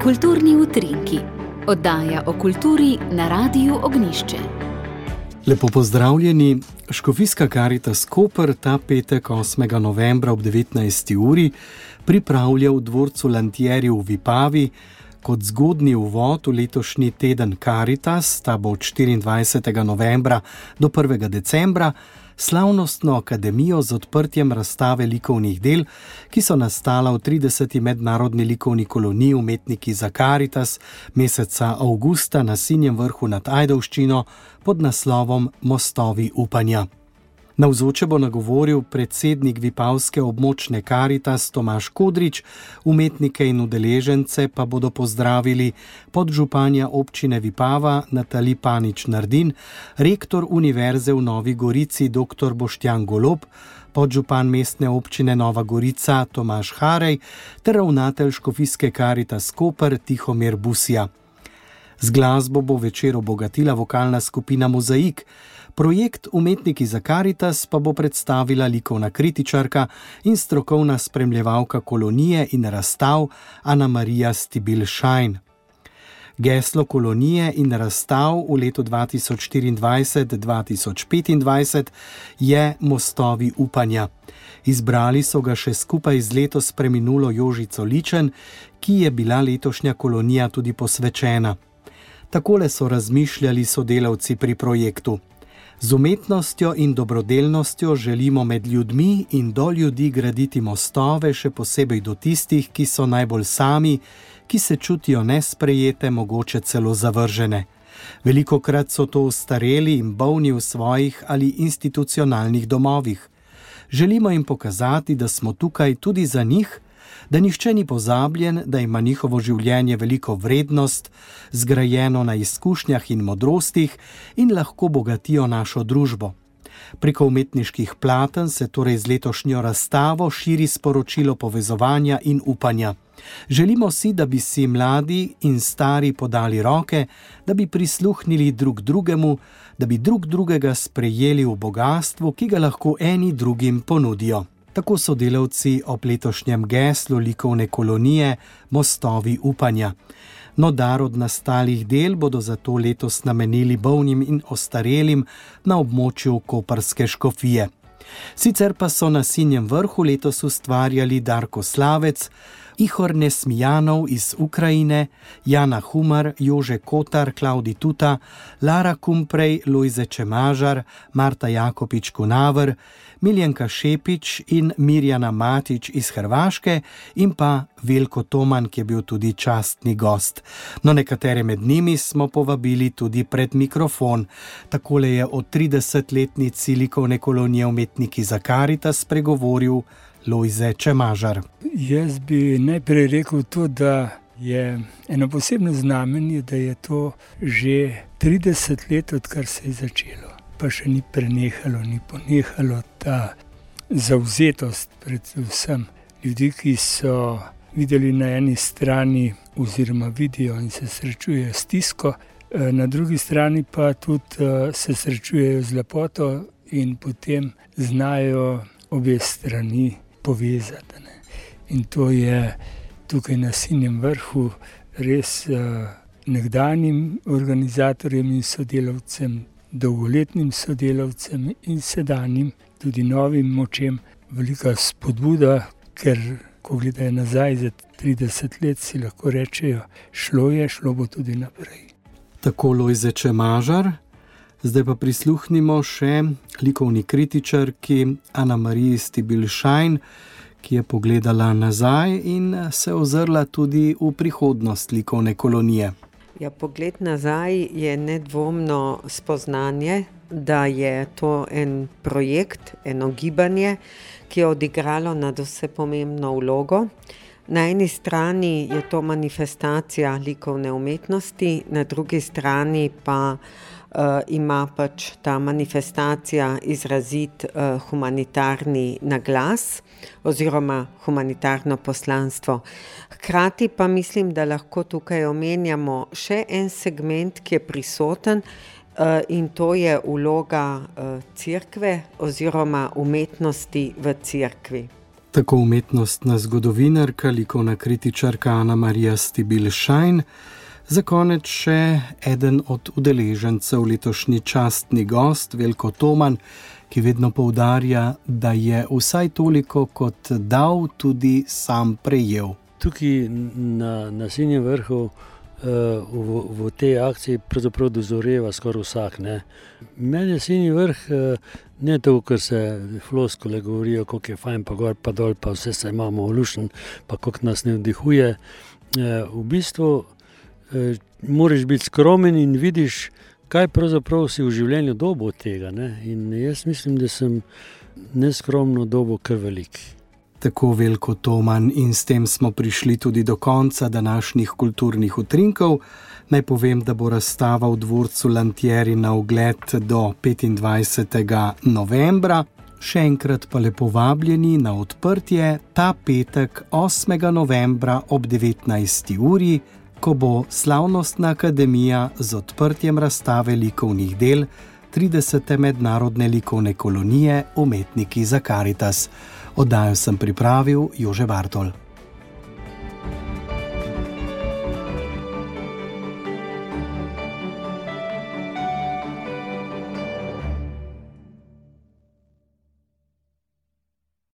Kulturni utrinki, oddaja o kulturi na Radiu Ognjišče. Lepo pozdravljeni. Škofijska Karitas Koper ta petek 8. novembra ob 19. uri pripravlja v dvorcu Lantieri v Vipavi kot zgodnji uvod v letošnji teden Karitas, ta bo od 24. novembra do 1. decembra, slavnostno akademijo z odprtjem razstave likovnih del, ki so nastala v 30. mednarodni likovni koloniji Umetniki za Karitas meseca avgusta na Sinjem vrhu nad Ajdovščino pod naslovom Mostovi upanja. Navzoče bo nagovoril predsednik Vipavske območne Karitas Tomaž Kodrič, umetnike in udeležence pa bodo pozdravili podžupanja občine Vipava Natalija Panič-Nardin, rektor Univerze v Novi Gorici dr. Boštjan Golob, podžupan mestne občine Nova Gorica Tomaž Harej ter ravnatelj Škofijske Karitas Koper Tihomir Busija. Z glasbo bo večer obogatila vokalna skupina Mozaik. Projekt Umetniki za Karitas pa bo predstavila likovna kritičarka in strokovna spremljevalka kolonije in razstav Ana Marija Stibil-Šajn. Geslo kolonije in razstav v letu 2024-2025 je Mostovi upanja. Izbrali so ga še skupaj z letos preminulo Jožico Ličen, ki je bila letošnja kolonija tudi posvečena. Takole so razmišljali sodelavci pri projektu. Z umetnostjo in dobrodelnostjo želimo med ljudmi in do ljudi graditi mostove, še posebej do tistih, ki so najbolj sami, ki se čutijo nesprejete, mogoče celo zavržene. Velikokrat so to ostareli in bolni v svojih ali institucionalnih domovih. Želimo jim pokazati, da smo tukaj tudi za njih, da nihče ni pozabljen, da ima njihovo življenje veliko vrednost, zgrajeno na izkušnjah in modrostih in lahko bogatijo našo družbo. Preko umetniških platen se torej z letošnjo razstavo širi sporočilo povezovanja in upanja. Želimo si, da bi si mladi in stari podali roke, da bi prisluhnili drug drugemu, da bi drug drugega sprejeli v bogastvu, ki ga lahko eni drugim ponudijo. Tako so delavci ob letošnjem geslu likovne kolonije Mostovi upanja. No, dar od nastalih del bodo zato letos namenili bolnim in ostarelim na območju koprske škofije. Sicer pa so na Sinjem vrhu letos ustvarjali Darko Slavec, Ihor Nesmijanov iz Ukrajine, Jana Humar, Jože Kotar, Klaudi Tuta, Lara Kumprej, Lojze Čemažar, Marta Jakopič-Kunaver, Miljenka Šepič in Mirjana Matić iz Hrvaške in pa Veljko Toman, ki je bil tudi častni gost. No, nekatere med njimi smo povabili tudi pred mikrofon. Takole je o 30-letnici likovne kolonije Umetniki za Karitas spregovoril Lojze Čemažar. Jaz bi najprej rekel to, da je eno posebno znamenje, da je to že 30 let, odkar se je začelo. Pa še ni prenehalo, ni ponehalo ta zavzetost predvsem ljudi, ki so videli na eni strani oziroma vidijo in se srečujejo s stisko, na drugi strani pa tudi se srečujejo z lepoto in potem znajo obe strani povezati. In to je tukaj na Sinjem vrhu res nekdanjim organizatorjem in sodelavcem, dolgoletnim sodelavcem in sedanjim, tudi novim močem, velika spodbuda, ker ko gledajo nazaj za 30 let, si lahko rečejo, šlo bo tudi naprej. Tako Lojze Čemažar. Zdaj pa prisluhnimo še likovni kritičarki Ana Mariji Stibil-Šajn, ki je pogledala nazaj in se ozrla tudi v prihodnost likovne kolonije. Ja, pogled nazaj je nedvomno spoznanje, da je to en projekt, eno gibanje, ki je odigralo nadvse pomembno vlogo. Na eni strani je to manifestacija likovne umetnosti, na drugi strani pa ima pač ta manifestacija izrazit humanitarni naglas oziroma humanitarno poslanstvo. Hkrati pa mislim, da lahko tukaj omenjamo še en segment, ki je prisoten, in to je vloga cerkve oziroma umetnosti v cerkvi. Tako umetnostna zgodovinarka, likovna kritičarka Ana Marija Stibil-Šajn, za konec še eden od udeležencev letošnji častni gost, Veljko Toman, ki vedno poudarja, da je vsaj toliko kot dal, tudi sam prejel. Tukaj na Sinjem vrhu v tej akciji pravzaprav dozoreva skoraj vsak. Meni je Sinji vrh ne to, ker se floskule govorijo, koliko je fajn, pa gor, pa dol, pa vse se imamo olušen, pa koliko nas ne vdihuje. V bistvu moraš biti skromen in vidiš, kaj pravzaprav si v življenju dobil od tega. In jaz mislim, da sem neskromno dobil kar velik. Tako Veljko Toman, in s tem smo prišli tudi do konca današnjih kulturnih utrinkov. Naj povem, da bo razstava v dvorcu Lantieri na ogled do 25. novembra. Še enkrat pa lepo vabljeni na odprtje ta petek 8. novembra ob 19. uri, ko bo Slavnostna akademija z odprtjem razstave likovnih del 30. mednarodne likovne kolonije Umetniki za Karitas. Oddajo sem pripravil Jože Bartol.